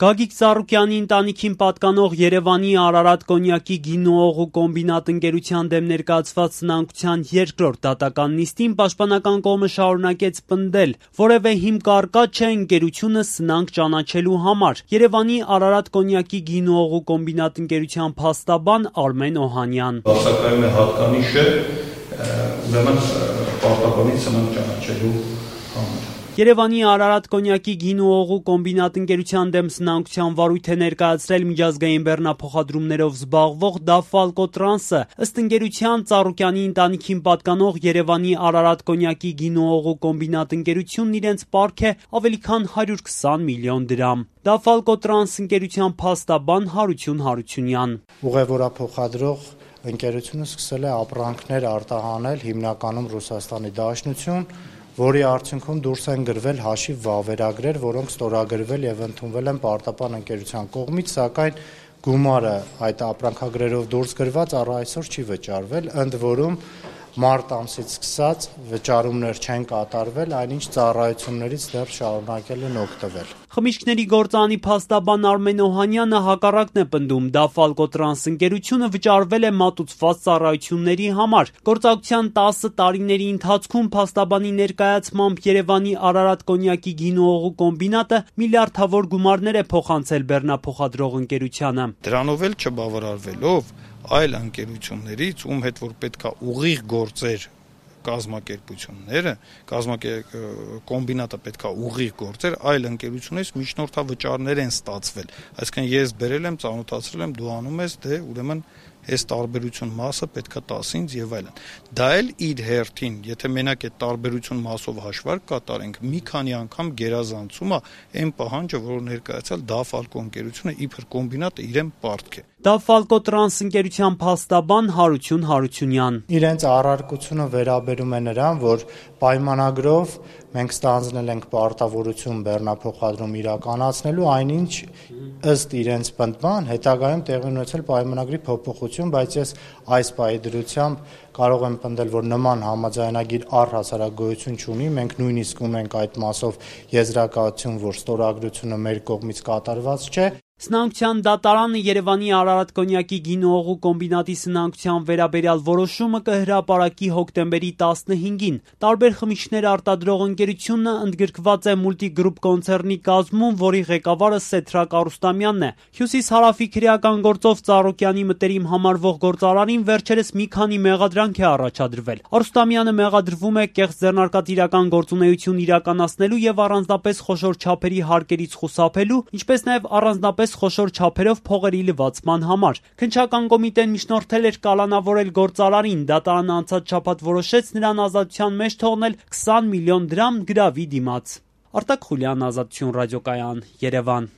Գագիկ Ծառուկյանի ընտանիքին պատկանող Երևանի Արարատ կոնյակի գինուողու կոմբինատ ընկերության դեմ ներկայացված սնանկության երկրորդ դատական նիստին պաշտպանական կողմը շարունակեց պնդել, որևէ հիմք առկա չէ ընկերությունը սնանկ ճանաչելու համար։ Երևանի Արարատ կոնյակի գինուողու կոմբինատ ընկերության փաստաբան Արմեն Օհանյան. Բացակայում է հատկանիշը, ուրեմն պարտականից սնանկ ճանաչելու համար։ Երևանի Արարատ կոնյակի գինուողու կոմբինատ ընկերության դեմ սնանկության վարույթ է ներկայացրել միջազգային բեռնափոխադրումներով զբաղվող Դաֆալկո տրանսը, ըստ ընկերության Ծառուկյանի ընտանիքին պատկանող Երևանի Արարատ կոնյակի գինուողու կոմբինատ ընկերությունն իրենց պարկ է ավելի քան 120 միլիոն դրամ։ Դաֆալկո տրանս ընկերության փաստաբան Հարություն Հարությունյան. Ուղևորափոխադրող ընկերությունը սկսել է ապրանքներ արտահանել հիմնականում Ռուսաստանի Դաշնություն, որի արդյունքում դուրս են գրվել հաշիվ վավերագրեր, որոնք ստորագրվել եւ ընդունվել են պարտապան ընկերության կողմից, սակայն գումարը այդ ապրանքագրերով դուրս գրված առ այսօր չի վճարվել, ընդ որում մարտ ամսից սկսած վճարումներ չեն կատարվել, այնինչ ծառայություններից դեռ շարունակել են օգտվել։ Խմիչքների գործարանի փաստաբան Արմեն Օհանյանը հակառակն է պնդում, Դաֆալկո տրանս ընկերությունը վճարվել է մատուցված ծառայությունների համար։ Գործակցության 10 տարիների ընթացքում փաստաբանի ներկայացմամբ Երևանի Արարատ կոնյակի գինուողու կոմբինատը միլիարդավոր գումարներ է փոխանցել բեռնափոխադրող ընկերությանը։ Դրանով էլ չբավարարվելով այլ ընկերություններից, ում հետ որ պետքա ուղիղ գործեր կազմակերպությունները, կոմբինատը պետքա ուղիղ գործեր, այլ ընկերությունից միջնորդավճարներ են ստացվել։ Այսինքն ես բերել եմ, ծանոթացրել եմ, դու անում ես, դե ուրեմն այս տարբերություն մասը պետքա տաս ինձ եւ այլն։ Դա էլ իր հերթին, եթե մենակ այդ տարբերություն մասով հաշվարկ կատարենք, մի քանի անգամ գերազանցում է այն պահանջը, որ ներկայացել Դաֆալկո ընկերությունը իբր կոմբինատը իրեն պարտք է։ Դաֆալկո տրանս ընկերության փաստաբան Հարություն Հարությունյան. Իրենց առարկությունը վերաբերում է նրան, որ պայմանագրով մենք ստանձնել ենք պարտավորություն բեռնափոխադրում իրականացնելու, այնինչ ըստ իրենց պնդման հետագայում տեղի ունեցել պայմանագրի փոփոխություն, բայց ես այս պահի դրությամբ կարող եմ պնդել, որ նման համաձայնագիր առհասարակ գոյություն չունի, մենք նույնիսկ ունենք այդ մասով եզրակացություն, որ ստորագրությունը մեր կողմից կատարված չէ։ Սնանկության դատարանը Երևանի Արարատ կոնյակի գինուողու կոմբինատի սնանկության վերաբերյալ որոշումը կհրապարակի հոկտեմբերի 15-ին։ Տարբեր խմիչքներ արտադրող ընկերությունը ընդգրկված է Multigroup կոնցեռնի կազմում, որի ղեկավարը Սեթրակ Արուստամյանն է։ Հյուսիս-հարավի քրեական գործով Ծառուկյանի մտերիմ համարվող գործարանին վերջերս մի քանի մեղադրանք է առաջադրվել։ Արուստամյանը մեղադրվում է կեղծ ձեռնարկատիրական գործունեություն իրականացնելու եւ առանձնապես խոշոր չափերի հարկերից խուսափելու, ինչպես նաեւ առանձնապես խոշոր չափերով փողերի լվացման համար։ Քննչական կոմիտեն միջնորդել էր կալանավորել գործարարին, դատարանը անցած շաբաթ որոշեց նրան ազատության մեջ թողնել 20 միլիոն դրամ գրավի դիմաց։ Արտակ Խուլյան, Ազատություն ռադիոկայան, Երևան։